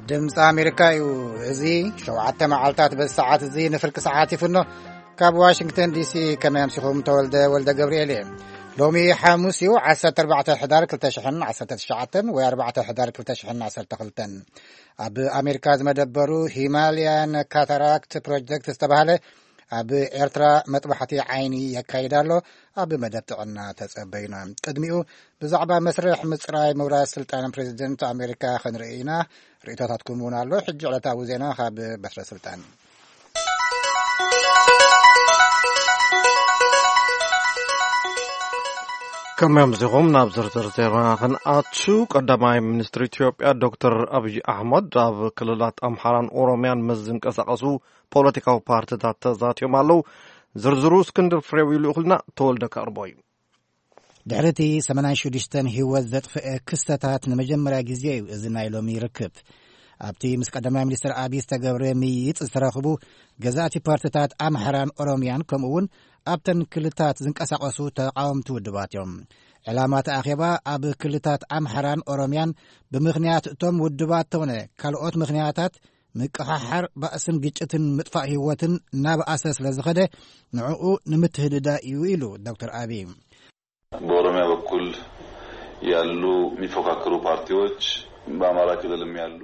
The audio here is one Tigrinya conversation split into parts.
ድምፂ ኣሜሪካ እዩ። እዚ ሸውዓተ መዓልታት በዚ ሰዓት እዚ ንፍርቂ ሰዓት ይፍኖ። ካብ ዋሽንግተን ዲሲ ከመይ ኣምሲኹም? ተወልደ ወልደ ገብርኤል እየ። ሎሚ ሓሙስ እዩ፣ ዓሰርተ ኣርባዕተ ሕዳር ክልተ ሽሕን ዓሰርተ ትሽዓተን ወይ ኣርባዕተ ሕዳር ክልተ ሽሕን ዓሰርተ ክልተን። ኣብ ኣሜሪካ ዝመደበሩ ሂማልያን ካታራክት ፕሮጀክት ዝተባህለ ኣብ ኤርትራ መጥባሕቲ ዓይኒ የካይድ ኣሎ። ኣብ መደብ ጥዕና ተጸበዩና። ቅድሚኡ ብዛዕባ መስርሕ ምጽራይ ምውራስ ስልጣን ፕሬዚደንት ኣሜሪካ ክንርኢ ኢና። ርእይቶታትኩም እውን ኣሎ። ሕጂ ዕለታዊ ዜና ካብ በትረ ስልጣን። ከመይ ኣምሲኹም? ናብ ዝርዝር ዜና ክንኣቱ። ቀዳማይ ሚኒስትር ኢትዮጵያ ዶክተር ኣብይ ኣሕመድ ኣብ ክልላት ኣምሓራን ኦሮምያን ምስ ዝንቀሳቐሱ ፖለቲካዊ ፓርቲታት ተዛትዮም ኣለዉ። ዝርዝሩ እስክንድር ፍሬው ይልእኹልና፣ ተወልደ ከቕርቦ እዩ። ድሕሪ እቲ ሰማንያን ሽዱሽተን ህይወት ዘጥፍአ ክስተታት ንመጀመርያ ግዜ እዩ እዚ ናይ ሎሚ ርክብ። ኣብቲ ምስ ቀዳማይ ሚኒስትር ኣብይ ዝተገብረ ምይይጥ ዝተረኽቡ ገዛእቲ ፓርቲታት ኣምሓራን ኦሮምያን፣ ከምኡ እውን ኣብተን ክልታት ዝንቀሳቐሱ ተቃወምቲ ውድባት እዮም። ዕላማ እቲ ኣኼባ ኣብ ክልታት ኣምሓራን ኦሮምያን ብምኽንያት እቶም ውድባት ተውነ ካልኦት ምኽንያታት ምቅሓሓር ባእስን ግጭትን ምጥፋእ ህይወትን እናበኣሰ ስለ ዝኸደ ንዕኡ ንምትህድዳ እዩ ኢሉ ዶክተር ኣብይ። በኦሮሚያ በኩል ያሉ የሚፎካከሩ ፓርቲዎች በአማራ ክልልም ያሉ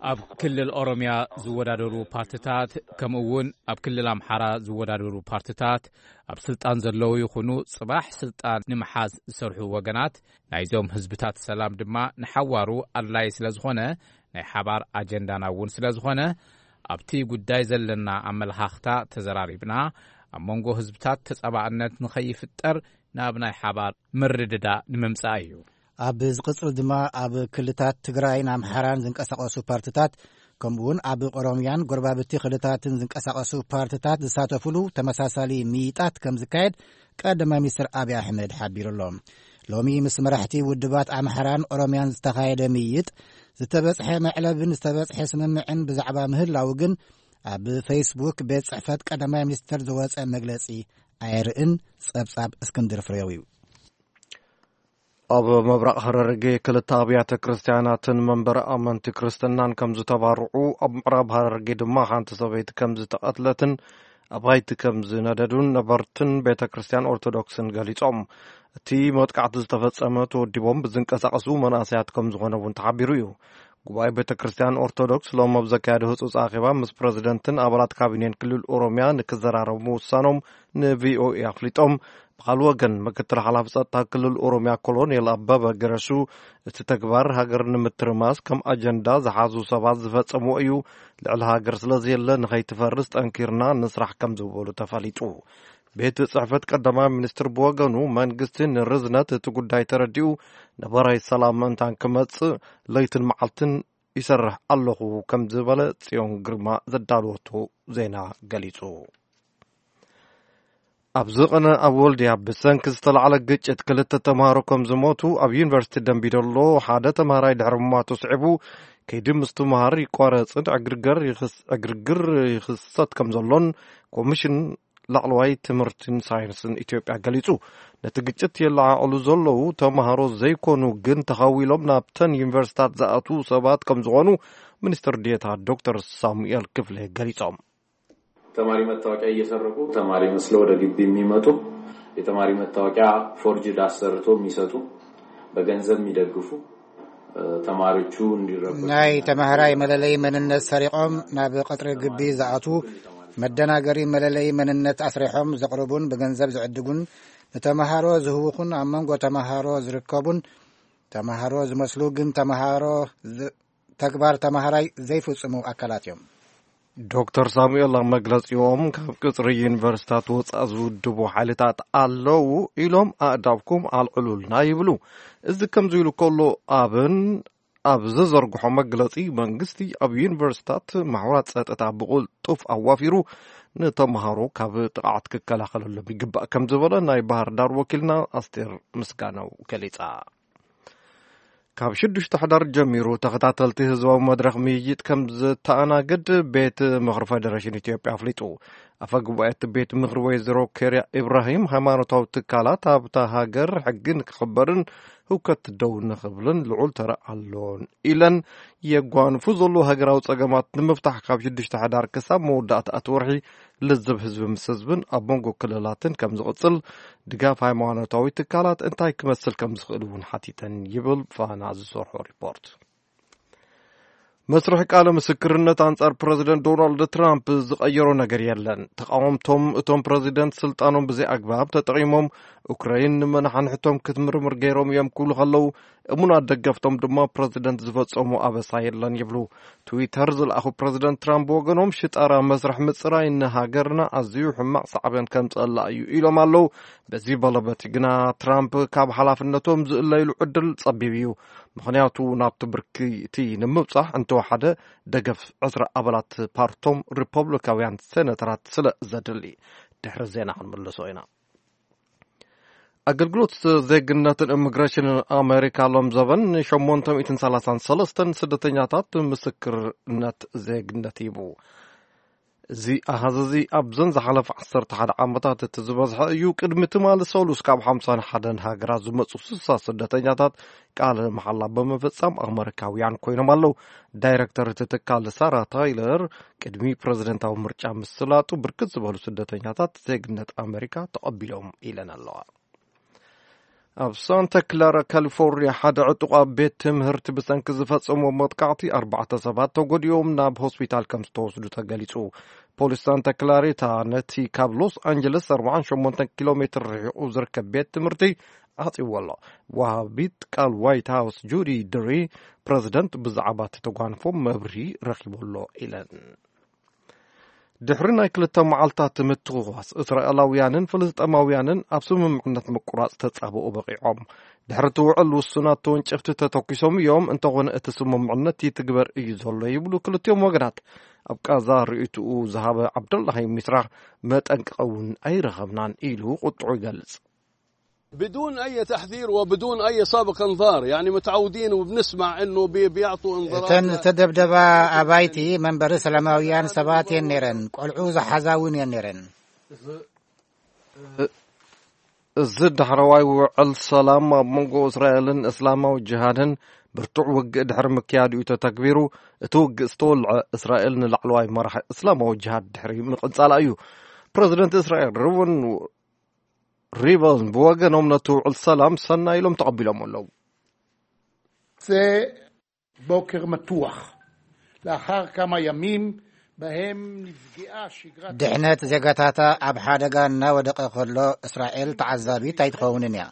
ኣብ ክልል ኦሮምያ ዝወዳደሩ ፓርቲታት፣ ከምኡ እውን ኣብ ክልል ኣምሓራ ዝወዳደሩ ፓርቲታት፣ ኣብ ስልጣን ዘለዉ ይኹኑ ጽባሕ ስልጣን ንምሓዝ ዝሰርሑ ወገናት፣ ናይዞም ህዝብታት ሰላም ድማ ንሓዋሩ ኣድላይ ስለ ዝኾነ፣ ናይ ሓባር ኣጀንዳና እውን ስለ ዝኾነ፣ ኣብቲ ጉዳይ ዘለና ኣመለኻኽታ ተዘራሪብና፣ ኣብ መንጎ ህዝብታት ተጻባእነት ንኸይፍጠር ናብ ናይ ሓባር ምርድዳእ ንምምጻእ እዩ። ኣብ ዝቕጽል ድማ ኣብ ክልታት ትግራይን ኣምሓራን ዝንቀሳቐሱ ፓርትታት፣ ከምኡውን ኣብ ኦሮምያን ጎረባብቲ ክልታትን ዝንቀሳቐሱ ፓርትታት ዝሳተፉሉ ተመሳሳሊ ምይጣት ከም ዝካየድ ቀዳማይ ሚኒስትር ኣብይ ኣሕመድ ሓቢሩ ኣሎ። ሎሚ ምስ መራሕቲ ውድባት ኣምሓራን ኦሮምያን ዝተኻየደ ምይይጥ፣ ዝተበጽሐ መዕለብን ዝተበጽሐ ስምምዕን ብዛዕባ ምህላው ግን፣ ኣብ ፌስቡክ ቤት ጽሕፈት ቀዳማይ ሚኒስትር ዝወጸ መግለጺ ኣየርእን። ጸብጻብ እስክንድር ፍሬው እዩ። ኣብ ምብራቕ ሃረርጌ ክልተ ኣብያተ ክርስቲያናትን መንበረ ኣመንቲ ክርስትናን ከም ዝተባርዑ፣ ኣብ ምዕራብ ሃረርጌ ድማ ሓንቲ ሰበይቲ ከም ዝተቐትለትን ኣባይቲ ከም ዝነደዱን ነበርትን ቤተ ክርስቲያን ኦርቶዶክስን ገሊጾም። እቲ መጥቃዕቲ ዝተፈጸመ ተወዲቦም ብዝንቀሳቐሱ መናእሰያት ከም ዝኾነ እውን ተሓቢሩ እዩ። ጉባኤ ቤተ ክርስቲያን ኦርቶዶክስ ሎም ኣብ ዘካየደ ህጹጽ ኣኼባ ምስ ፕረዚደንትን ኣባላት ካቢኔን ክልል ኦሮምያ ንክዘራረቡ ምውሳኖም ን ቪ ኦ ኤ ኣፍሊጦም። ብኻልእ ወገን፣ ምክትል ሓላፊ ጸጥታ ክልል ኦሮምያ ኮሎኔል ኣበበ ገረሱ፣ እቲ ተግባር ሃገር ንምትርማስ ከም ኣጀንዳ ዝሓዙ ሰባት ዝፈጸምዎ እዩ፣ ልዕሊ ሃገር ስለ ዘየለ ንኸይትፈርስ ጠንኪርና ንስራሕ ከም ዝበሉ ተፈሊጡ። ቤት ጽሕፈት ቀዳማይ ሚኒስትር ብወገኑ፣ መንግስቲ ንርዝነት እቲ ጉዳይ ተረዲኡ፣ ነባራይ ሰላም ምእንታን ክመጽእ ለይትን መዓልትን ይሰርሕ ኣለኹ ከም ዝበለ ጽዮን ግርማ ዘዳለወቶ ዜና ገሊጹ። ኣብዚ ቅነ ኣብ ወልድያ ብሰንኪ ዝተላዕለ ግጭት ክልተ ተምሃሮ ከም ዝሞቱ፣ ኣብ ዩኒቨርሲቲ ደምቢዶሎ ሓደ ተምሃራይ ድሕሪ ምሟቱ ስዒቡ፣ ከይዲ ምስትምሃር ይቋረጽን ዕግርገር ይኽስ-፣ ዕግርግር ይኽሰት ከም ዘሎን ኮሚሽን ላዕለዋይ ትምህርትን ሳይንስን ኢትዮጵያ ገሊጹ። ነቲ ግጭት የለዓዕሉ ዘለዉ ተምሃሮ ዘይኮኑ፣ ግን ተኻዊሎም ናብተን ዩኒቨርሲታት ዝኣትዉ ሰባት ከም ዝኾኑ ሚኒስትር ዴኤታ ዶክተር ሳሙኤል ክፍሌ ገሊጾም። ተማሪ መታወቂያ እየሰረቁ፣ ተማሪ መስለው ወደ ግቢ የሚመጡ፣ የተማሪ መታወቂያ ፎርጅድ አሰርቶ የሚሰጡ፣ በገንዘብ የሚደግፉ፣ እ፣ ተማሪዎቹ እንዲረበሹ ናይ ተማሃራይ መለለይ መንነት ሰሪቖም ናብ ቀጽሪ ግቢ ዝኣትዉ፣ መደናገሪ መለለይ መንነት ኣስሪሖም ዘቕርቡን ብገንዘብ ዝዕድጉን፣ ንተማሃሮ ዝህውኹን ኣብ መንጎ ተማሃሮ ዝርከቡን፣ ተማሃሮ ዝመስሉ ግን ተማሃሮ ዝ-፣ ተግባር ተማሃራይ ዘይፍጽሙ ኣካላት እዮም። ዶክተር ሳሙኤል ኣብ መግለጺኦም፣ ካብ ቅጽሪ ዩኒቨርሲታት ወጻእ ዝውድቡ ሓይልታት ኣለዉ ኢሎም ኣእዳውኩም ኣልዕሉልና ይብሉ። እዚ ከምዚ ኢሉ ከሎ፣ ኣብን ኣብ ዝዘርግሖ መግለጺ፣ መንግስቲ ኣብ ዩኒቨርሲታት ማሕበራት ጸጥታ ብቕልጡፍ ኣዋፊሩ ንተምሃሮ ካብ ጥቕዓት ክከላኸለሎም ይግባእ ከም ዝበለ ናይ ባህር ዳር ወኪልና ኣስቴር ምስጋናው ገሊጻ። ካብ ሽዱሽተ ሕዳር ጀሚሩ ተኸታተልቲ ህዝባዊ መድረኽ ምይይጥ ከም ዝተኣናግድ ቤት ምኽሪ ፌደሬሽን ኢትዮጵያ ኣፍሊጡ። ኣፈ ጉባኤ እቲ ቤት ምኽሪ ወይዘሮ ኬርያ ኢብራሂም፣ ሃይማኖታዊ ትካላት ኣብታ ሃገር ሕጊ ንክኽበርን ህውከት ደው ንኽብልን ልዑል ተራ ኣሎን ኢለን። የጓንፉ ዘለዉ ሃገራዊ ጸገማት ንምፍታሕ ካብ ሽዱሽተ ሕዳር ክሳብ መወዳእታ እቲ ወርሒ ልዝብ ህዝቢ ምስ ህዝብን ኣብ መንጎ ክልላትን ከም ዝቕጽል፣ ድጋፍ ሃይማኖታዊ ትካላት እንታይ ክመስል ከም ዝኽእል እውን ሓቲተን ይብል ፋና ዝሰርሖ ሪፖርት። መስርሕ ቃለ ምስክርነት ኣንጻር ፕረዚደንት ዶናልድ ትራምፕ ዝቐየሮ ነገር የለን። ተቓወምቶም እቶም ፕረዚደንት ስልጣኖም ብዘይ ኣግባብ ተጠቒሞም ኡክራይን ንመናሓንሕቶም ክትምርምር ገይሮም እዮም ክብሉ ከለዉ፣ እሙናት ደገፍቶም ድማ ፕረዚደንት ዝፈጸሙ ኣበሳ የለን ይብሉ። ትዊተር ዝለኣኹ ፕረዚደንት ትራምፕ ብወገኖም ሽጣራ መስርሕ ምጽራይ ንሃገርና ኣዝዩ ሕማቕ ሳዕቤን ከምጸላ እዩ ኢሎም ኣለዉ። በዚ በለበቲ ግና ትራምፕ ካብ ሓላፍነቶም ዝእለይሉ ዕድል ጸቢብ እዩ። ምኽንያቱ ናብቲ ብርኪ እቲ ንምብጻሕ እንተወሓደ ደገፍ ዕስራ ኣባላት ፓርቶም ሪፐብሊካውያን ሴነተራት ስለ ዘድሊ። ድሕሪ ዜና ክንምልሶ ኢና። ኣገልግሎት ዜግነትን ኢሚግሬሽንን ኣሜሪካ ሎም ዘበን ሸሞንተ ሚእትን ሰላሳን ሰለስተን ስደተኛታት ምስክርነት ዜግነት ሂቡ። እዚ ኣሃዝ እዚ ኣብዘን ዝሓለፈ ዓሰርተ ሓደ ዓመታት እቲ ዝበዝሐ እዩ። ቅድሚ ትማሊ ሰሉስ ካብ ሓምሳን ሓደን ሃገራት ዝመጹ ስሳ ስደተኛታት ቃለ መሓላ ብምፍጻም ኣመሪካውያን ኮይኖም ኣለዉ። ዳይረክተር እቲ ትካል ሳራ ታይለር ቅድሚ ፕረዚደንታዊ ምርጫ ምስላጡ ብርክት ዝበሉ ስደተኛታት ዜግነት ኣመሪካ ተቐቢሎም ኢለን ኣለዋ። ኣብ ሳንታ ክላራ ካሊፎርኒያ ሓደ ዕጡቕ ኣብ ቤት ትምህርቲ ብሰንኪ ዝፈጸሞ መጥቃዕቲ ኣርባዕተ ሰባት ተጎዲኦም ናብ ሆስፒታል ከም ዝተወስዱ ተገሊጹ። ፖሊስ ሳንታ ክላሪታ ነቲ ካብ ሎስ ኣንጀለስ ኣርባዓን ሸሞንተን ኪሎ ሜትር ርሒቑ ዝርከብ ቤት ትምህርቲ ዓጽይዎ ኣሎ። ወሃቢት ቃል ዋይት ሃውስ ጁዲ ድሪ ፕረዚደንት ብዛዕባ እቲ ተጓንፎ መብርሂ ረኺቡ ኣሎ ኢለን። ድሕሪ ናይ ክልተ መዓልታት ምትኹኻስ፣ እስራኤላውያንን ፍልስጤማውያንን ኣብ ስምምዕነት ምቁራጽ ተጻብኦ በቒዖም። ድሕሪ እቲ ውዕል ውሱናት ተወንጨፍቲ ተተኲሶም እዮም፣ እንተኾነ እቲ ስምምዕነት ይትግበር እዩ ዘሎ ይብሉ ክልቲኦም ወገናት። ኣብ ቃዛ ርእይትኡ ዝሃበ ዓብደላሂ ሚስራህ መጠንቀቒ እውን ኣይረኸብናን ኢሉ ቁጥዑ ይገልጽ። بدون أي تحذير وبدون أي سابق إنذار، يعني متعودين وبنسمع إنه بي- بيعطوا إنذارات እተን ل- ዝተደብደባ ኣባይቲ መንበሪ ሰላማውያን ሰባት እየን ነይረን። ቆልዑ ዝሓዛ እውን እየን ነይረን። እዚ ዳሕረዋይ ውዕል ሰላም ኣብ መንጎ እስራኤልን እስላማዊ ጅሃድን ብርቱዕ ውግእ ድሕሪ ምክያዱ እዩ ተተግቢሩ። እቲ ውግእ ዝተወልዐ እስራኤል ንላዕለዋይ መራሒ እስላማዊ ጅሃድ ድሕሪ ምቕንጻላ እዩ። ፕረዚደንት እስራኤል ርውን ሪቨን ብወገኖም ነቲ ውዕል ሰላም ሰናይ ኢሎም ተቐቢሎም ኣለዉ። זה בוקר מתוח. לאחר כמה ימים בהם נפגעה שגרת ድሕነት ዜጋታታ ኣብ ሓደጋ እናወደቐ ከሎ እስራኤል ተዓዛቢት ኣይትኸውንን እያ።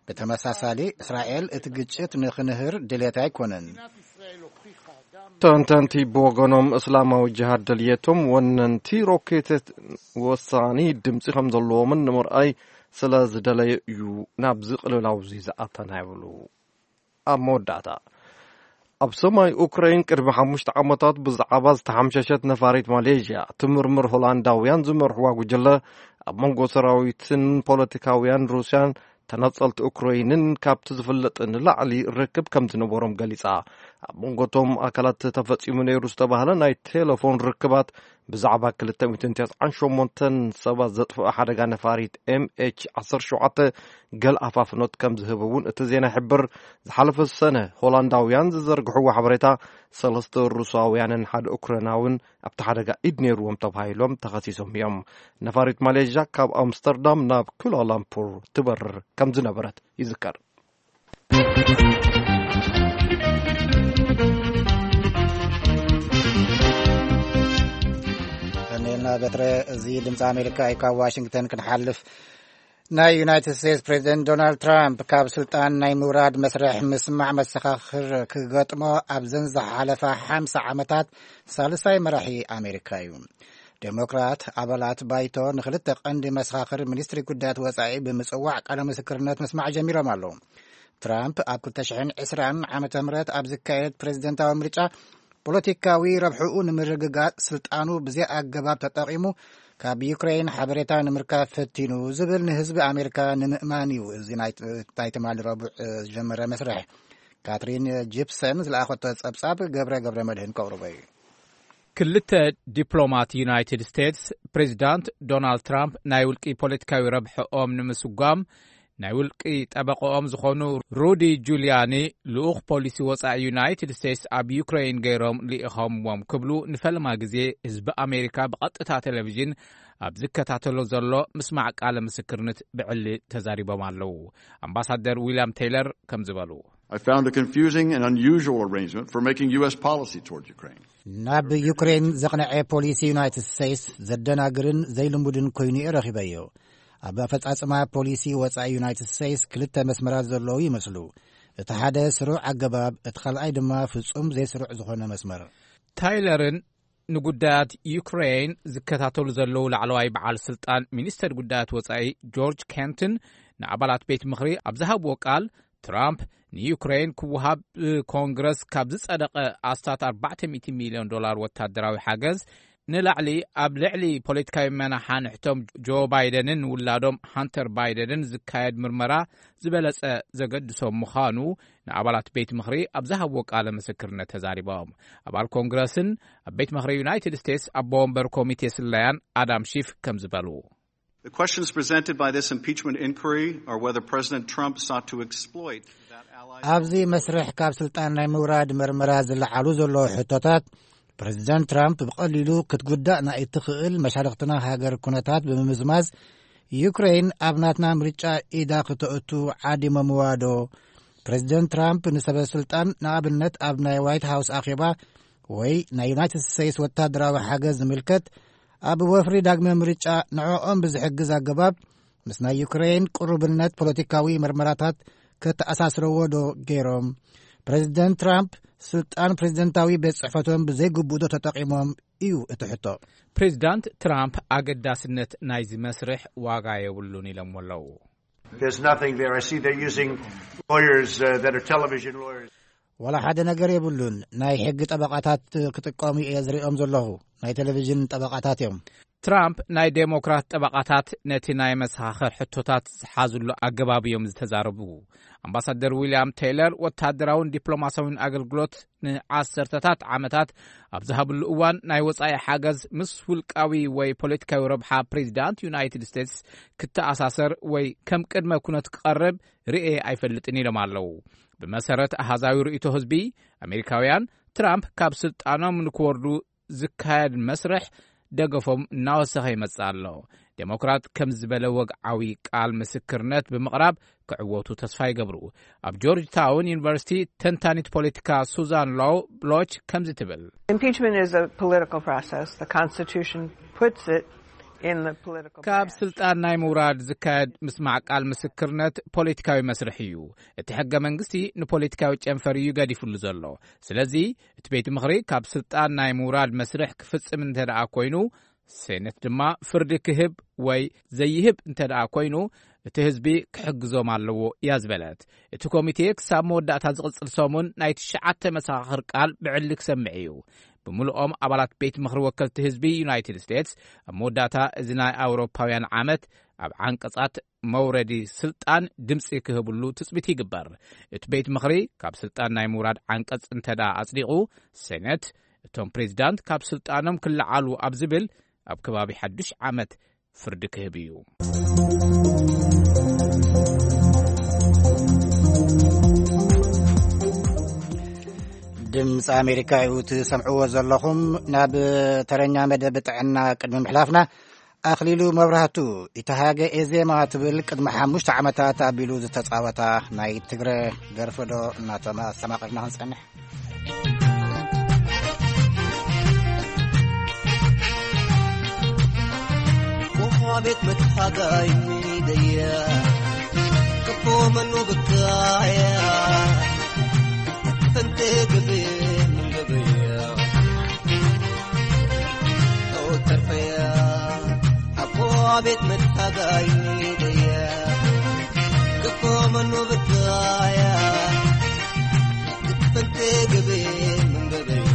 ብተመሳሳሊ እስራኤል እቲ ግጭት ንኽንህር ድሌት ኣይኮነን። ישראל הוכיחה גם ተንተንቲ ብወገኖም እስላማዊ ጅሃድ ድልየቶም ወነንቲ ሮኬት ወሳኒ ድምፂ ከም ዘለዎምን ንምርኣይ ስለ ዝደለየ እዩ ናብዚ ቅልውላው እዚ ዝኣተና ይብሉ። ኣብ መወዳእታ ኣብ ሰማይ ኡክራይን ቅድሚ ሓሙሽተ ዓመታት ብዛዕባ ዝተሓምሸሸት ነፋሪት ማሌዥያ ትምርምር ሆላንዳውያን ዝመርሕዋ ጉጅለ ኣብ መንጎ ሰራዊትን ፖለቲካውያን ሩስያን ተነጸልቲ ኡክራይንን ካብቲ ዝፍለጥ ንላዕሊ ርክብ ከም ዝነበሮም ገሊጻ። ኣብ መንጎ እቶም ኣካላት ተፈጺሙ ነይሩ ዝተባህለ ናይ ቴሌፎን ርክባት ብዛዕባ ክልተ ሚእትን ተስዓን ሸሞንተን ሰባት ዘጥፍኦ ሓደጋ ነፋሪት ኤምኤች ዓሰርተ ሸውዓተ ገል ኣፋፍኖት ከም ዝህብ እውን እቲ ዜና ይሕብር። ዝሓለፈ ሰነ ሆላንዳውያን ዝዘርግሕዎ ሓበሬታ ሰለስተ ሩሳውያንን ሓደ ኡክራይናውን ኣብቲ ሓደጋ ኢድ ነይርዎም ተባሂሎም ተኸሲሶም እዮም። ነፋሪት ማሌዥያ ካብ ኣምስተርዳም ናብ ኩላላምፑር ትበርር ከም ዝነበረት ይዝከር። ቀኒልና በትረ። እዚ ድምፂ ኣሜሪካ እዩ። ካብ ዋሽንግተን ክንሓልፍ፣ ናይ ዩናይትድ ስቴትስ ፕሬዚደንት ዶናልድ ትራምፕ ካብ ስልጣን ናይ ምውራድ መስርሕ ምስማዕ መሰኻኽር ክገጥሞ ኣብዘን ዝሓለፋ ሓምሳ ዓመታት ሳልሳይ መራሒ ኣሜሪካ እዩ። ዴሞክራት ኣባላት ባይቶ ንክልተ ቀንዲ መሰኻኽር ሚኒስትሪ ጉዳያት ወፃኢ ብምፅዋዕ ቃለ ምስክርነት ምስማዕ ጀሚሮም ኣለዉ። ትራምፕ ኣብ ክልተ ሽሕን ዕስራን ዓመተ ምህረት ኣብ ዝካየድ ፕሬዚደንታዊ ምርጫ ፖለቲካዊ ረብሕኡ ንምርግጋጽ ስልጣኑ ብዘይ ኣገባብ ተጠቒሙ ካብ ዩክሬን ሓበሬታ ንምርካብ ፈቲኑ ዝብል ንህዝቢ ኣሜሪካ ንምእማን እዩ። እዚ ናይ ትማሊ ረቡዕ ዝጀመረ መስርሕ ካትሪን ጂፕሰን ዝለኣኸቶ ጸብጻብ ገብረ ገብረ መድህን ከቕርቦ እዩ። ክልተ ዲፕሎማት ዩናይትድ ስቴትስ ፕሬዚዳንት ዶናልድ ትራምፕ ናይ ውልቂ ፖለቲካዊ ረብሕኦም ንምስጓም ናይ ውልቂ ጠበቆኦም ዝኾኑ ሩዲ ጁልያኒ፣ ልኡኽ ፖሊሲ ወጻኢ ዩናይትድ ስቴትስ ኣብ ዩክሬን ገይሮም ልኢኾምዎም ክብሉ ንፈለማ ግዜ ህዝቢ ኣሜሪካ ብቐጥታ ቴሌቪዥን ኣብ ዝከታተሎ ዘሎ ምስማዕ ቃለ ምስክርነት ብዕሊ ተዛሪቦም ኣለዉ። ኣምባሳደር ዊልያም ቴይለር ከም ዝበሉ፣ I found a confusing and unusual arrangement for making U S policy toward Ukraine. ናብ ዩክሬን ዘቕነዐ ፖሊሲ ዩናይትድ ስቴትስ ዘደናግርን ዘይልሙድን ኮይኑ እየ ረኺበዮ። ኣብ ኣፈጻጽማ ፖሊሲ ወጻኢ ዩናይትድ ስቴትስ ክልተ መስመራት ዘለዉ ይመስሉ። እቲ ሓደ ስሩዕ ኣገባብ፣ እቲ ካልኣይ ድማ ፍጹም ዘይስሩዕ ዝኾነ መስመር። ታይለርን ንጉዳያት ዩክሬን ዝከታተሉ ዘለዉ ላዕለዋይ በዓል ስልጣን ሚኒስተር ጉዳያት ወጻኢ ጆርጅ ኬንትን ንኣባላት ቤት ምኽሪ ኣብ ዝሃብዎ ቃል፣ ትራምፕ ንዩክሬን ክወሃብ ብኮንግረስ ካብ ዝጸደቐ ኣስታት ኣርባዕተ ሚእቲ ሚልዮን ዶላር ወታደራዊ ሓገዝ ንላዕሊ፣ ኣብ ልዕሊ ፖለቲካዊ መናሓንሕቶም ጆ ባይደንን ውላዶም ሃንተር ባይደንን ዝካየድ ምርመራ ዝበለጸ ዘገድሶም ምዃኑ ንኣባላት ቤት ምኽሪ ኣብ ዝሃብዎ ቃለ ምስክርነት ተዛሪቦም። ኣባል ኮንግረስን ኣብ ቤት ምኽሪ ዩናይትድ ስቴትስ ኣቦ ወንበር ኮሚቴ ስለያን ኣዳም ሺፍ ከም ዝበሉ፣ The questions presented by this impeachment inquiry are whether President Trump sought to exploit that ally ኣብዚ መስርሕ ካብ ስልጣን ናይ ምውራድ መርመራ ዝለዓሉ ዘለዉ ሕቶታት፣ ፕረዚደንት ትራምፕ ብቐሊሉ ክትጉዳእ ናይ እትኽእል መሻርኽትና ሃገር ኩነታት ብምምዝማዝ፣ ዩክሬን ኣብ ናትና ምርጫ ኢዳ ክተእቱ ዓዲሞምዋ ዶ? ፕረዚደንት ትራምፕ ንሰበ ስልጣን፣ ንኣብነት ኣብ ናይ ዋይት ሃውስ ኣኼባ ወይ ናይ ዩናይትድ ስቴትስ ወታደራዊ ሓገዝ ዝምልከት፣ ኣብ ወፍሪ ዳግመ ምርጫ ንዕኦም ብዝሕግዝ ኣገባብ ምስ ናይ ዩክሬን ቅሩብነት ፖለቲካዊ መርመራታት ከተኣሳስረዎ ዶ ገይሮም? ፕረዚደንት ትራምፕ ስልጣን ፕረዚደንታዊ ቤት ጽሕፈቶም ብዘይግቡእ ዶ ተጠቒሞም እዩ እቲ ሕቶ። ፕሬዚዳንት ትራምፕ ኣገዳስነት ናይዚ መስርሕ ዋጋ የብሉን ኢሎምዎ ኣለዉ። There's nothing there. I see they're using lawyers uh, that are television lawyers. ዋላ ሓደ ነገር የብሉን። ናይ ሕጊ ጠበቓታት ክጥቀሙ እየ ዝሪኦም ዘለኹ። ናይ ቴሌቪዥን ጠበቓታት እዮም። ትራምፕ ናይ ዴሞክራት ጠበቓታት ነቲ ናይ መሰኻኽር ሕቶታት ዝሓዝሉ ኣገባብ እዮም ዝተዛረቡ። ኣምባሳደር ዊልያም ቴይለር ወታደራውን ዲፕሎማሲያውን ኣገልግሎት ንዓሰርተታት ዓመታት ኣብ ዝሃብሉ እዋን፣ ናይ ወጻኢ ሓገዝ ምስ ውልቃዊ ወይ ፖለቲካዊ ረብሓ ፕሬዚዳንት ዩናይትድ ስቴትስ ክተኣሳሰር ወይ ከም ቅድመ ኩነት ክቐርብ ርእየ ኣይፈልጥን ኢሎም ኣለዉ። ብመሰረት ኣሃዛዊ ርእይቶ ህዝቢ፣ ኣሜሪካውያን ትራምፕ ካብ ስልጣኖም ንክወርዱ ዝካየድ መስርሕ ደገፎም እናወሰኸ ይመጽእ ኣሎ። ዴሞክራት ከም ዝበለ ወግዓዊ ቃል ምስክርነት ብምቕራብ ክዕወቱ ተስፋ ይገብሩ። ኣብ ጆርጅ ታውን ዩኒቨርሲቲ ተንታኒት ፖለቲካ ሱዛን ሎው ብሎች ከምዚ ትብል፣ Impeachment is a political process. The Constitution puts it in the political ካብ branch. ስልጣን ናይ ምውራድ ዝካየድ ምስማዕ ቃል ምስክርነት ፖለቲካዊ መስርሕ እዩ። እቲ ሕገ መንግስቲ ንፖለቲካዊ ጨንፈር እዩ ገዲፉሉ ዘሎ። ስለዚ እቲ ቤት ምኽሪ ካብ ስልጣን ናይ ምውራድ መስርሕ ክፍጽም እንተ ደኣ ኮይኑ፣ ሴነት ድማ ፍርዲ ክህብ ወይ ዘይህብ እንተ ደኣ ኮይኑ፣ እቲ ህዝቢ ክሕግዞም ኣለዎ እያ ዝበለት። እቲ ኮሚቴ ክሳብ መወዳእታ ዝቕጽል ሰሙን ናይ ትሽዓተ መሰኻኽር ቃል ብዕሊ ክሰምዕ እዩ። ብምልኦም ኣባላት ቤት ምኽሪ ወከልቲ ህዝቢ ዩናይትድ ስቴትስ ኣብ መወዳእታ እዚ ናይ ኣውሮፓውያን ዓመት ኣብ ዓንቀጻት መውረዲ ስልጣን ድምጺ ክህብሉ ትጽቢት ይግበር። እቲ ቤት ምኽሪ ካብ ስልጣን ናይ ምውራድ ዓንቀጽ እንተ ደኣ ኣጽዲቑ፣ ሴነት እቶም ፕሬዚዳንት ካብ ስልጣኖም ክለዓሉ ኣብ ዝብል ኣብ ከባቢ ሓዱሽ ዓመት ፍርዲ ክህብ እዩ። ድምፂ ኣሜሪካ እዩ ትሰምዕዎ ዘለኹም። ናብ ተረኛ መደብ ጥዕና ቅድሚ ምሕላፍና፣ ኣኽሊሉ መብራህቱ፣ ኢተሃገ ኤዜማ ትብል ቅድሚ ሓሙሽተ ዓመታት ኣቢሉ ዝተፃወታ ናይ ትግረ ደርፊ ዶ እናተማ-፣ ኣስተማቒርና ክንፀንሕ? ቤት መትሓጋይ ደያ ክፎ መኑ ብካያ ፈንቴ ግዜ ምን ገበያ ተርፈያ ኣቦ ቤት መትሓጋይ ደያ ክፎ መኑ ብካያ ፈንቴ ግዜ ምን ገበያ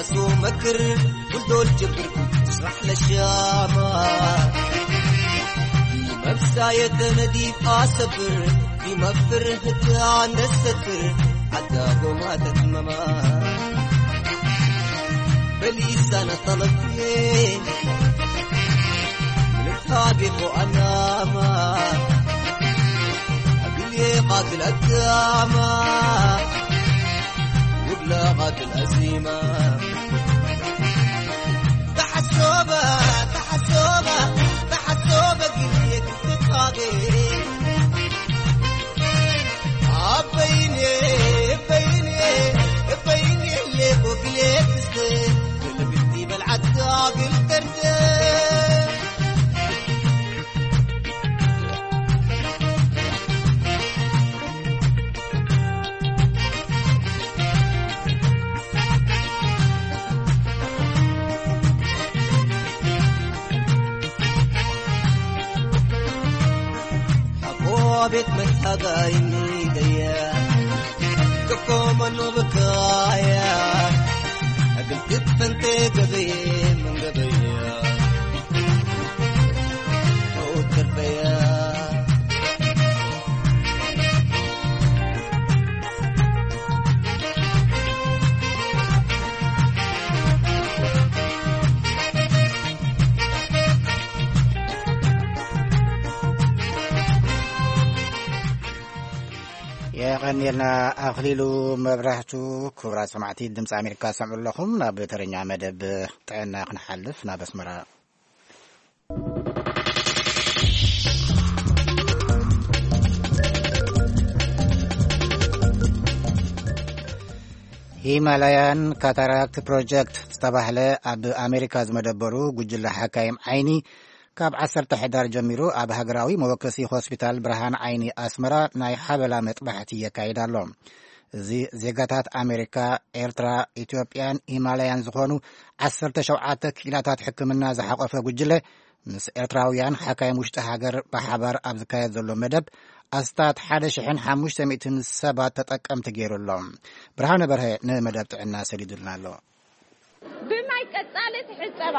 أسو مكر ولدول جبر تشرح للشامة. في مبساية نديف أسبر، في مفر هتان الستر، حتى قومات تماما. بليس أنا طلبتين من الطابق وأناما. أقول يا قاتل الدامة. وبلاغة الأزيمة. تحسوبة، تحسوبة، تحسوبة قليك تتقاضي. أبيني، أبيني، أبيني اللي بوك ليك تستي. كل بنتي بلعت عاقل تردي. حقوبة مذهبين ديا. كفو منو بكايا. قلت فنتي قضية من قضية. የቐንየልና ኣኽሊሉ መብራህቱ። ክቡራት ሰማዕቲ ድምፂ ኣሜሪካ ሰምዑ ኣለኹም። ናብ ተረኛ መደብ ጥዕና ክንሓልፍ ናብ ኣስመራ። ሂማላያን ካታራክት ፕሮጀክት ዝተባህለ ኣብ ኣሜሪካ ዝመደበሩ ጉጅለ ሓካይም ዓይኒ ካብ ዓሰርተ ሕዳር ጀሚሩ ኣብ ሃገራዊ መወከሲ ሆስፒታል ብርሃን ዓይኒ ኣስመራ ናይ ሓበላ መጥባሕቲ የካይድ ኣሎ። እዚ ዜጋታት ኣሜሪካ፣ ኤርትራ፣ ኢትዮጵያን ሂማላያን ዝኾኑ ዓሰርተ ሸውዓተ ክኢላታት ሕክምና ዝሓቆፈ ጉጅለ ምስ ኤርትራውያን ሓካይም ውሽጢ ሃገር ብሓባር ኣብ ዝካየድ ዘሎ መደብ ኣስታት ሓደ ሽሕን ሓሙሽተ ሚእትን ሰባት ተጠቀምቲ ገይሩ ኣሎ። ብርሃነ በርሀ ንመደብ ጥዕና ሰዲዱልና ኣሎ። ብማይ ቀጻሊ ትሕጸባ፣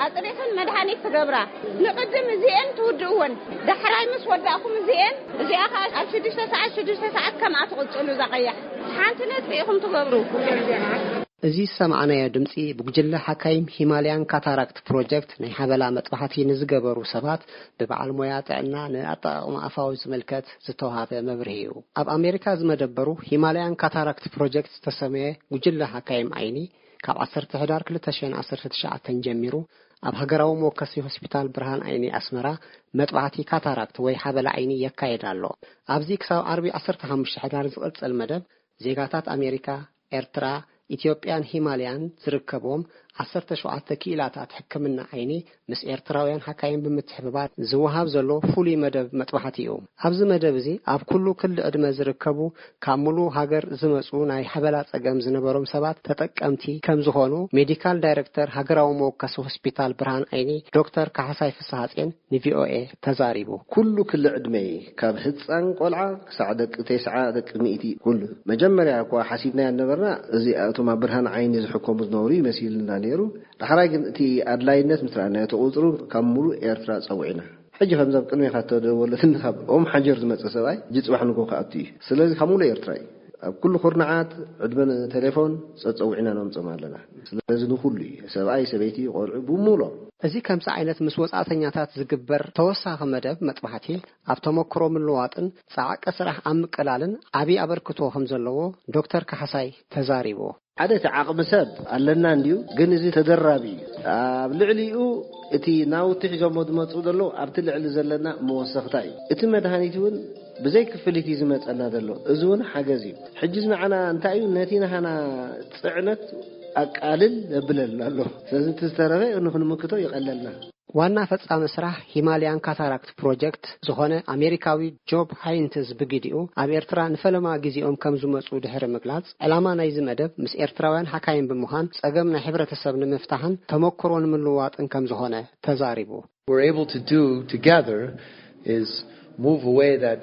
ኣጽሪኽን መድሃኒት ትገብራ። ንቕድም እዚኤን ትውድእወን፣ ዳሕራይ ምስ ወዳእኩም እዚኤን፣ እዚኣ ኸኣ ኣብ ሽዱሽተ ሰዓት፣ ሽዱሽተ ሰዓት ከምኣ ትቕጽሉ እዛ ቀያሕ። ሓንቲ ነጥቢ ኢኹም ትገብሩ። እዚ ዝሰማዕናዮ ድምጺ ብጉጅለ ሓካይም ሂማልያን ካታራክት ፕሮጀክት ናይ ሓበላ መጥባሕቲ ንዝገበሩ ሰባት ብበዓል ሞያ ጥዕና ንኣጠቓቕማ ኣፋዊ ዝምልከት ዝተውሃበ መብርሂ እዩ። ኣብ ኣሜሪካ ዝመደበሩ ሂማልያን ካታራክት ፕሮጀክት ዝተሰመየ ጉጅለ ሓካይም ዓይኒ ካብ ዓሰርተ ሕዳር ክልተ ሽሕን ዓሰርተ ትሽዓተን ጀሚሩ ኣብ ሃገራዊ መወከሲ ሆስፒታል ብርሃን ዓይኒ ኣስመራ መጥባሕቲ ካታራክት ወይ ሓበላ ዓይኒ የካየድ ኣሎ። ኣብዚ ክሳብ ዓርቢ ዓሰርተ ሓሙሽተ ሕዳር ዝቕጽል መደብ ዜጋታት ኣሜሪካ፣ ኤርትራ፣ ኢትዮጵያን ሂማልያን ዝርከብዎም ዓሰርተ ሸውዓተ ክኢላታት ሕክምና ዓይኒ ምስ ኤርትራውያን ሓካይም ብምትሕብባር ዝወሃብ ዘሎ ፍሉይ መደብ መጥባሕቲ እዩ። ኣብዚ መደብ እዚ ኣብ ኩሉ ክሊ ዕድመ ዝርከቡ ካብ ሙሉእ ሃገር ዝመጹ ናይ ሓበላ ጸገም ዝነበሮም ሰባት ተጠቀምቲ ከም ዝኾኑ ሜዲካል ዳይረክተር ሃገራዊ መወከሲ ሆስፒታል ብርሃን ዓይኒ ዶክተር ካሕሳይ ፍስሃጼን ንቪኦኤ ተዛሪቡ። ኩሉ ክሊ ዕድመ ካብ ህጻን ቆልዓ ክሳዕ ደቂ ተስዓ ደቂ ሚእቲ ኩሉ። መጀመርያ እኳ ሓሲብናዮ ነበርና እዚ እቶም ኣብ ብርሃን ዓይኒ ዝሕከሙ ዝነበሩ ይመሲልና ነይሩ። ዳሕራይ ግን እቲ ኣድላይነት ምስ ረኣናዮ እቲ ቁጽሩ ካብ ሙሉእ ኤርትራ ጸዊዕና። ሕጂ ከምዚ ኣብ ቅድሜኻ እተደወለትኒ ካብ ኦም ሓጀር ዝመጸ ሰብኣይ ሕጂ ጽባሕ ንግሆ ክኣቱ እዩ። ስለዚ ካብ ሙሉእ ኤርትራ እዩ። ኣብ ኩሉ ኩርናዓት ዕድመ ቴሌፎን ጸጸዊዕና ነምጾም ኣለና። ስለዚ ንኹሉ እዩ። ሰብኣይ፣ ሰበይቲ፣ ቆልዑ ብሙሉኦም። እዚ ከምዚ ዓይነት ምስ ወጻእተኛታት ዝግበር ተወሳኺ መደብ መጥባሕቲ ኣብ ተመክሮ ምልዋጥን ጻዕቂ ስራሕ ኣብ ምቅላልን ዓቢ ኣበርክቶ ከም ዘለዎ ዶክተር ካሕሳይ ተዛሪቡ። ሓደ እቲ ዓቕሚ ሰብ ኣለና እንድዩ፣ ግን እዚ ተደራቢ እዩ። ኣብ ልዕሊኡ እቲ ናውቲ ሒዞሞ ዝመጽኡ ዘለዉ ኣብቲ ልዕሊ ዘለና መወሰኽታ እዩ። እቲ መድሃኒት እውን ብዘይ ክፍሊት እዩ ዝመጸና ዘሎ። እዚ እውን ሓገዝ እዩ። ሕጂ ንዓና እንታይ እዩ? ነቲ ናህና ጽዕነት ኣቃልል የብለልና ኣሎ። ስለዚ እቲ ዝተረፈ ንኽንምክቶ ይቐለልና። ዋና ፈጻሚ ስራሕ ሂማልያን ካታራክት ፕሮጀክት ዝኾነ ኣሜሪካዊ ጆብ ሃይንትዝ ብግዲኡ ኣብ ኤርትራ ንፈለማ ግዜኦም ከም ዝመጹ ድሕሪ ምግላጽ፣ ዕላማ ናይዚ መደብ ምስ ኤርትራውያን ሓካይም ብምዃን ጸገም ናይ ሕብረተሰብ ንምፍታሕን ተመክሮ ንምልውዋጥን ከም ዝኾነ ተዛሪቡ። We're able to do together is move away that,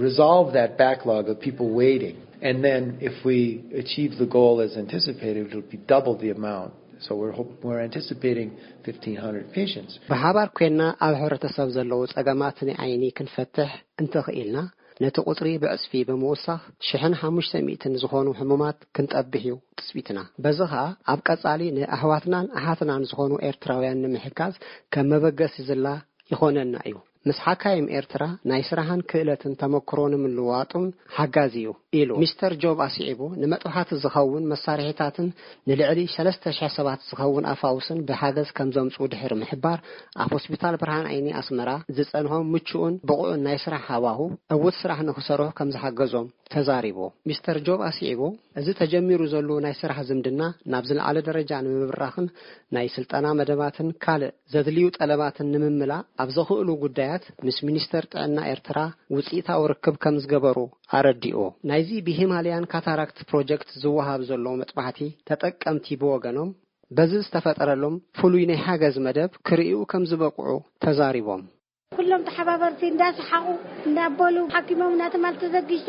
resolve that backlog of people waiting. And then if we achieve the goal as anticipated, it'll be double the amount. So we're, hope, we're anticipating fifteen hundred patients. ብሓባር ኮይና ኣብ ሕብረተሰብ ዘለዉ ጸገማት ናይ ዓይኒ ክንፈትሕ እንተኽኢልና፣ ነቲ ቁጽሪ ብዕጽፊ ብምውሳኽ ሽሕን ሓሙሽተ ሚእትን ዝኾኑ ሕሙማት ክንጠብሕ እዩ ትጽቢትና። በዚ ኸኣ ኣብ ቀጻሊ ንኣሕዋትናን ኣሓትናን ዝኾኑ ኤርትራውያን ንምሕጋዝ ከም መበገሲ ዝላ ይኾነና እዩ። ምስ ሓካይም ኤርትራ ናይ ስራሕን ክእለትን ተመክሮ ንምልዋጡን ሓጋዚ እዩ ኢሉ። ሚስተር ጆብ ኣስዒቡ፣ ንመጥባሕቲ ዝኸውን መሳርሒታትን ንልዕሊ ሰለስተ ሽሕ ሰባት ዝኸውን ኣፋውስን ብሓገዝ ከም ዘምጽኡ ድሕሪ ምሕባር፣ ኣብ ሆስፒታል ብርሃን ዓይኒ ኣስመራ ዝጸንሖም ምቹእን ብቑዕን ናይ ስራሕ ሃዋሁ ዕዉት ስራሕ ንኽሰርሑ ከም ዝሓገዞም ተዛሪቡ። ሚስተር ጆብ ኣስዒቡ፣ እዚ ተጀሚሩ ዘሎ ናይ ስራሕ ዝምድና ናብ ዝለዓለ ደረጃ ንምብራኽን ናይ ስልጠና መደባትን ካልእ ዘድልዩ ጠለባትን ንምምላእ ኣብ ዘኽእሉ ጉዳያት ምስ ሚኒስተር ጥዕና ኤርትራ ውጽኢታዊ ርክብ ከም ዝገበሩ ኣረዲኡ። ናይዚ ብሂማልያን ካታራክት ፕሮጀክት ዝወሃብ ዘሎ መጥባሕቲ ተጠቀምቲ ብወገኖም፣ በዚ ዝተፈጠረሎም ፍሉይ ናይ ሓገዝ መደብ ክርእዩ ከም ዝበቕዑ ተዛሪቦም። ኩሎም ተሓባበርቲ እንዳሰሓቑ እንዳበሉ ሓኪሞም እናተማል ተዘጊሸ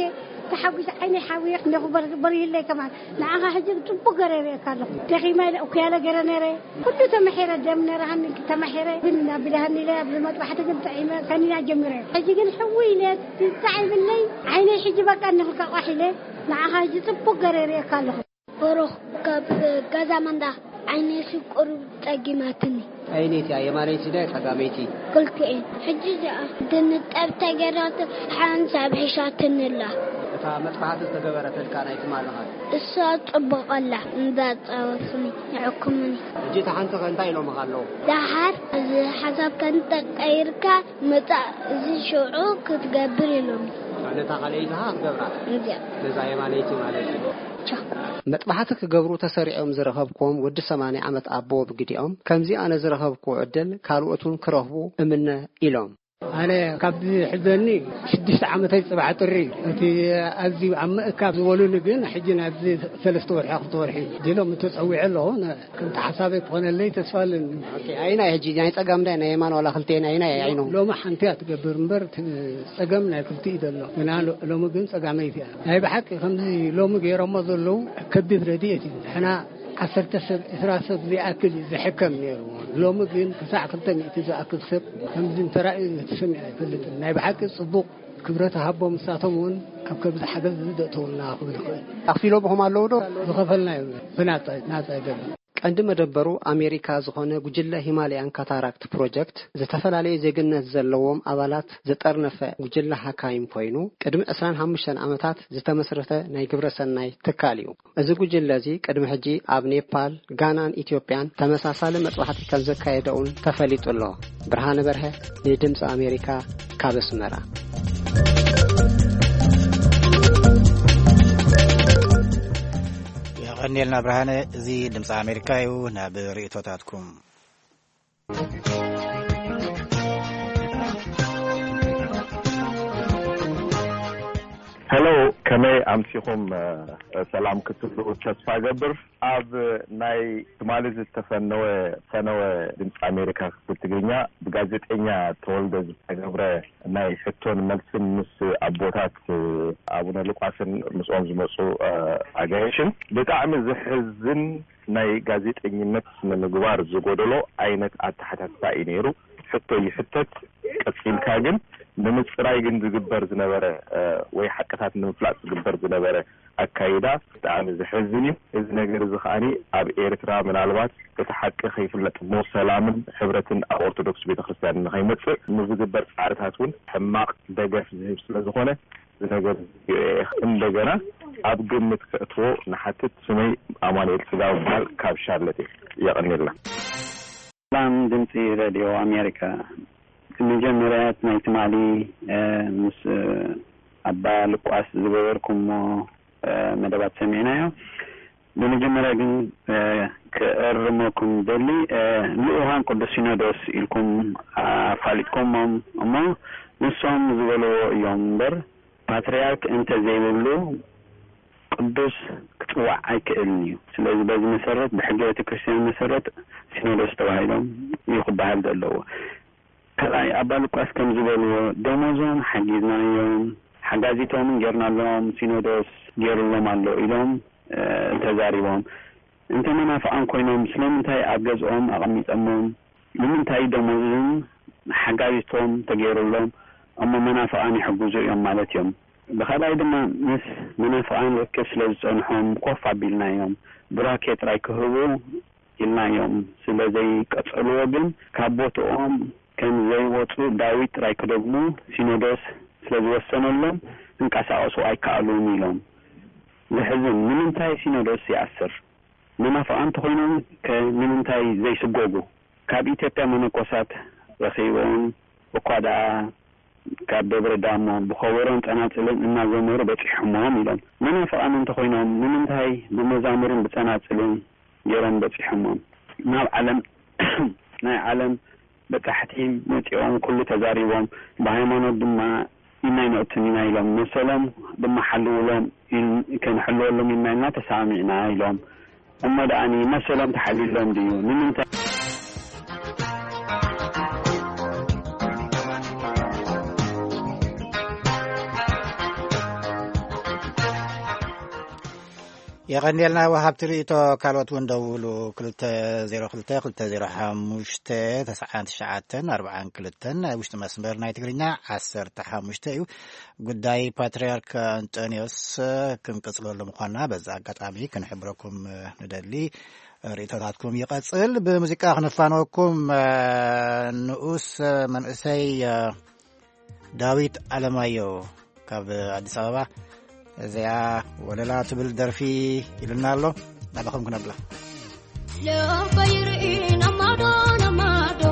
ተሓጒሰ ዓይነይ ሓዊየ እንዲኹ በር-፣ በሪህለይ ከማን። ንዓኻ ሕጂ ጽቡቕ ገረ ይርእየካ ኣለኹ። ደኺማ ኢለ እኩያለ ገረ ነረ። ኩሉ ተማሒረ፣ ደም ነረሃኒ ተማሒረ። ግን ኣቢልሃኒ ኢለ ኣብዚ መጥባሕቲ ግን ጥዒመ ከኒና ጀሚረ። ሕጂ ግን ሕዊ ኢለ ትጣዒምለይ ዓይነይ ሕጂ በቃ እንኽልካ ቋሕ ኢለ። ንዓኻ ሕጂ ጽቡቕ ገረ ይርእየካ ኣለኹ። ብሩኽ ካብ ገዛ መንዳ ዓይነይ ሽቁር ጸጊማትኒ። ኣይነይቲ እያ፣ የማነይቲ ድያ ጸጋመይቲ? ክልቲኤን። ሕጂ እዚኣ ድንጠብ ተገይራቶ ሓንሳብ ሒሻትኒ ኣላ። እታ መጥባሕቲ ዝተገበረትልካ ናይ ትማሊ ኸ? እሳ ጽቡቕ ኣላ፣ እንዳጻወትኒ ይሕክሙኒ። ሕጂ እታ ሓንቲ ኸ እንታይ ኢሎምኻ ኣለዉ? ደሓር እዚ ሓሳብ ከንተቀይርካ ምጻእ እዚ ሽዑ ክትገብር ኢሎምኒ። ነታ ካልኣይቲ ኸ ክትገብራ? እንድያ። ነዛ የማነይቲ ማለት እዩ። ቻ። መጥባሕቲ ክገብሩ ተሰሪዖም ዝረኸብክዎም ወዲ ሰማንያ ዓመት ኣቦ ብግዲኦም፣ ከምዚ ኣነ ዝረኸብክዎ ዕድል ካልኦት እውን ክረኽቡ እምነ ኢሎም። ኣነ ካብ ዝሕዘኒ ሽዱሽተ ዓመተይ ጽባሕ ጥሪ፣ እቲ ኣዝዩ ኣብ ምእካብ ዝበሉኒ ግን ሕጂ ናብዚ ሰለስተ ወርሒ ክልተ ወርሒ ዲሎም ተጸዊዐ ኣለኹ። ነ-፣ ከምቲ ሓሳበይ ክኾነለይ ተስፋ ኣለኒ። ኦኬ፣ ኣይናይ ሕጂ ናይ ጸጋም ዳይ ናይ የማን ዋላ ክልቴን ኣይናይ ዓይኖም? ሎሚ ሓንቲ እያ ትገብር እምበር እቲ ጸገም ናይ ክልቲኡ ዘሎ። ግና ሎ-፣ ሎሚ ግን ጸጋመይቲ እያ። ናይ ብሓቂ ከምዚ ሎሚ ገይሮሞ ዘለዉ ከቢድ ረድኤት እዩ። ንሕና ዓሰርተ ሰብ፣ ዕስራ ሰብ ዝኣክል እዩ ዝሕከም ነይሩ። ሎሚ ግን ክሳዕ ክልተ ሚእቲ ዝኣክል ሰብ ከምዚ እንተራእዩ ተሰሚዑ ኣይፈልጥን። ናይ ብሓቂ ጽቡቕ ክብረት ሃቦም፣ ንሳቶም እውን ኣብ ከብዚ ሓገዝ እዚ ደእተውልና ክብል ይኽእል። ኣኽፊሎምኹም ኣለዉ ዶ? ዝኸፈልናዮ ብናጻ፣ ናጻ ኣይደለም። ቀንዲ መደበሩ ኣሜሪካ ዝኾነ ጉጅለ ሂማልያን ካታራክት ፕሮጀክት፣ ዝተፈላለየ ዜግነት ዘለዎም ኣባላት ዝጠርነፈ ጉጅለ ሓካይም ኮይኑ፣ ቅድሚ ዕስራን ሓሙሽተን ዓመታት ዝተመስረተ ናይ ግብረ ሰናይ ትካል እዩ። እዚ ጉጅለ እዚ ቅድሚ ሕጂ ኣብ ኔፓል፣ ጋናን ኢትዮጵያን ተመሳሳሊ መጥባሕቲ ከም ዘካየደ እውን ተፈሊጡ ኣሎ። ብርሃነ በርሀ፣ ንድምፂ ኣሜሪካ፣ ካብ ኣስመራ። የቐንየልና ብርሃነ። እዚ ድምፂ ኣሜሪካ እዩ። ናብ ርእይቶታትኩም። ሄሎ፣ ከመይ ኣምሲኹም? ሰላም ክትብሉ ተስፋ ገብር። ኣብ ናይ ትማሊ ዝተፈነወ ፈነወ ድምፂ ኣሜሪካ ክፍል ትግርኛ ብጋዜጠኛ ተወልደ ዝተገብረ ናይ ሕቶን መልስን ምስ ኣቦታት ኣቡነ ሉቃስን ምስኦም ዝመፁ ኣጋይሽን ብጣዕሚ ዘሕዝን ናይ ጋዜጠኝነት ስነ ምግባር ዝጎደሎ ዓይነት ኣተሓታትታ እዩ ነይሩ። ሕቶ ይሕተት፣ ቀፂልካ ግን ንምፅራይ ግን ዝግበር ዝነበረ ወይ ሓቅታት ንምፍላጥ ዝግበር ዝነበረ ኣካይዳ ብጣዕሚ ዘሕዝን እዩ። እዚ ነገር እዚ ከዓኒ ኣብ ኤርትራ ምናልባት እቲ ሓቂ ከይፍለጥ እሞ ሰላምን ሕብረትን ኣብ ኦርቶዶክስ ቤተክርስትያን ንኸይመፅእ ንዝግበር ፃዕርታት እውን ሕማቕ ደገፍ ዝህብ ስለ ዝኾነ እዚ ነገር እዚ እንደገና ኣብ ግምት ከእትዎ ንሓትት። ስመይ ኣማኑኤል ስጋብ በሃል ካብ ሻርለት እየ። የቐንየልና። ሰላም ድምፂ ሬድዮ ኣሜሪካ። መጀመርያ ናይ ትማሊ ምስ ኣባ ልቋስ ዝገበርኩሞ መደባት ሰሚዕናዮ። ብመጀመርያ ግን ክእርመኩም ደሊ፣ ልኡኻን ቅዱስ ሲኖዶስ ኢልኩም ኣፋሊጥኩሞም እሞ ንሶም ዝበልዎ እዮም እምበር ፓትርያርክ እንተዘይብሉ ቅዱስ ክጽዋዕ ኣይክእልን እዩ። ስለዚ በዚ መሰረት ብሕገ ቤተ ክርስቲያን መሰረት ሲኖዶስ ተባሂሎም እዩ ክበሃል ዘለዎ። ካልኣይ ኣባ ሉቃስ ከም ዝበልዎ ደሞዞም ሓጊዝናዮም፣ ጋዜጦምን ጌርናሎም፣ ሲኖዶስ ጌሩሎም ኣሎ ኢሎም፣ እ፣ ተዛሪቦም። እንተ መናፍቓን ኮይኖም ስለምንታይ ኣብ ገዝኦም ኣቐሚጠሞም? ንምንታይ ደሞዝን ሓጋዚቶም ተገይሩሎም? እሞ መናፍቓን ይሕግዙ እዮም ማለት እዮም። ብኻልኣይ ድማ ምስ መናፍቓን ርክብ ስለ ዝጸንሖም ኮፍ ኣቢልናዮም። ቡራኬ ጥራይ ክህቡ ኢልናዮም ስለ ዘይቀጸልዎ ግን ካብ ቦትኦም ከም ዘይወጹ ዳዊት ጥራይ ክደግሙ ሲኖዶስ ስለ ዝወሰነሎም ክንቀሳቐሱ ኣይከኣሉን ኢሎም። ዘሕዝን። ንምንታይ ሲኖዶስ ይኣስር? መናፍቓን እንተኾይኖም ከ ንምንታይ ዘይስጎጉ? ካብ ኢትዮጵያ መነኮሳት ረኺቦም እኳ ደኣ ካብ ደብረ ዳሞ ብኸበሮን ጸናጽልን እናዘመሩ በጺሖሞም ኢሎም። መናፍቓን እንተኾይኖም ንምንታይ ብመዛሙርን ብጸናጽልን ገይሮም በጺሖሞም? ናብ ዓለም ናይ ዓለም በጻሕቲ መጺኦም ኩሉ ተዛሪቦም፣ ብሃይማኖት ድማ ኢና ኣይንእቱን ኢና ኢሎም፣ መሰሎም ድማ ሓልውሎም ኢል-፣ ክንሕልወሎም ኢና ኢልና ተሰማሚዕና ኢሎም። እሞ ደኣኒ መሰሎም ተሓልዩሎም ድዩ? ንምንታይ? የቐንየልና ወሃብቲ ርእቶ። ካልኦት እውን ደውሉ። ክልተ ዜሮ ክልተ ክልተ ዜሮ ሓሙሽተ ተስዓን ትሽዓተን ኣርባዓን ክልተን ናይ ውሽጢ መስመር ናይ ትግርኛ ዓሰርተ ሓሙሽተ እዩ። ጉዳይ ፓትርያርክ ኣንጠንዮስ ክንቅጽለሉ ምዃንና በዚ ኣጋጣሚ ክንሕብረኩም ንደሊ። ርእቶታትኩም ይቐጽል። ብሙዚቃ ክንፋነወኩም። ንኡስ መንእሰይ ዳዊት ኣለማዮ ካብ ኣዲስ ኣበባ እዚኣ ወለላ ትብል ደርፊ ኢሉና ኣሎ። ናባኹም ክነብላ። ልበይ ርኢ ናብ ማዶ ናብ ማዶ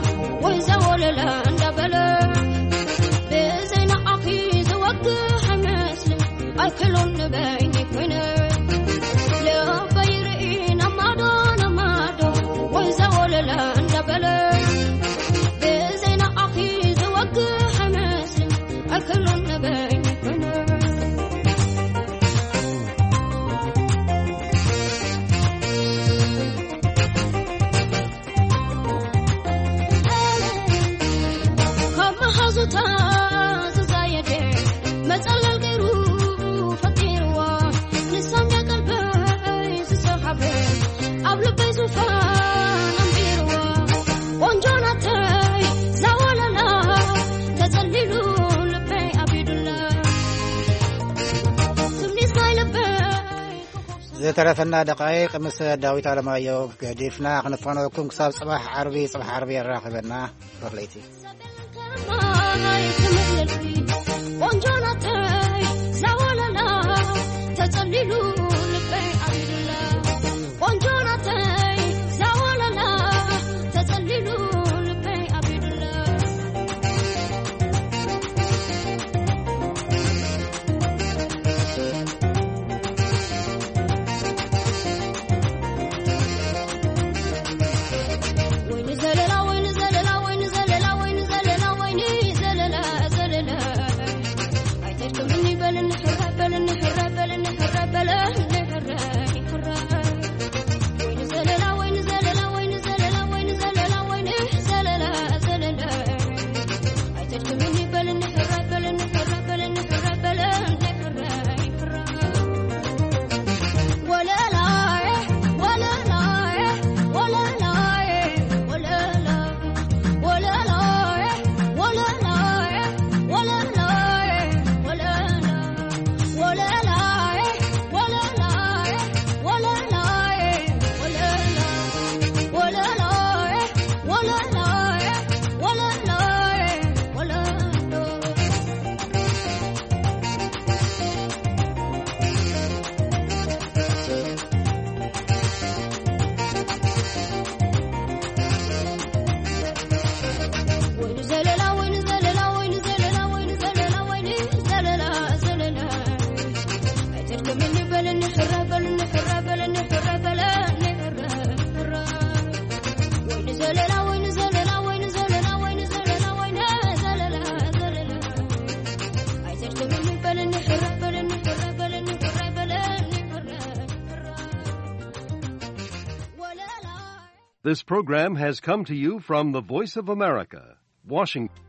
ወይ ዘወለለ እንዳበለ ብዘይ ንዓኺ ዝወግሕ ኣይመስልን ኣይክሎን ንበይኒ ኮይነ ልበይ ርኢ ናብ ማዶ ናብ ማዶ ወይ ዘወለለ እንዳበለ ብዘይ ንዓኺ ዝወግሕ ኣይመስልን ኣይክሎን ንበይኒ ኮይነ ካብ መሓዙታ ዝዛየደ መጸለል ገይሩ ፈጢርዋ ንሳምያ ቀልበይ ዝሰሓበ ኣብ ልበይ ዙፋን ኣንቢርዋ ቆንጆ ናተይ ዛወለላ ተጸሊሉ ልበይ ኣቢዱላ ትምኒት ናይ ልበይ ዝተረፈና ደቃይቕ ምስ ዳዊት ኣለማዮ ገዲፍና ክንፋነወኩም ክሳብ ጽባሕ ዓርቢ። ጽባሕ ዓርቢ የራኽበና። ሮኽለይቲ ቆንጆ ናተይ ዛወለላ ተጸሊሉ ልበይ ኣቢዱላ ቆንጆ ናተይ ዛወለላ ተጸሊሉ ልበይ ኣቢዱላ This program has come to you from the Voice of America, Washington.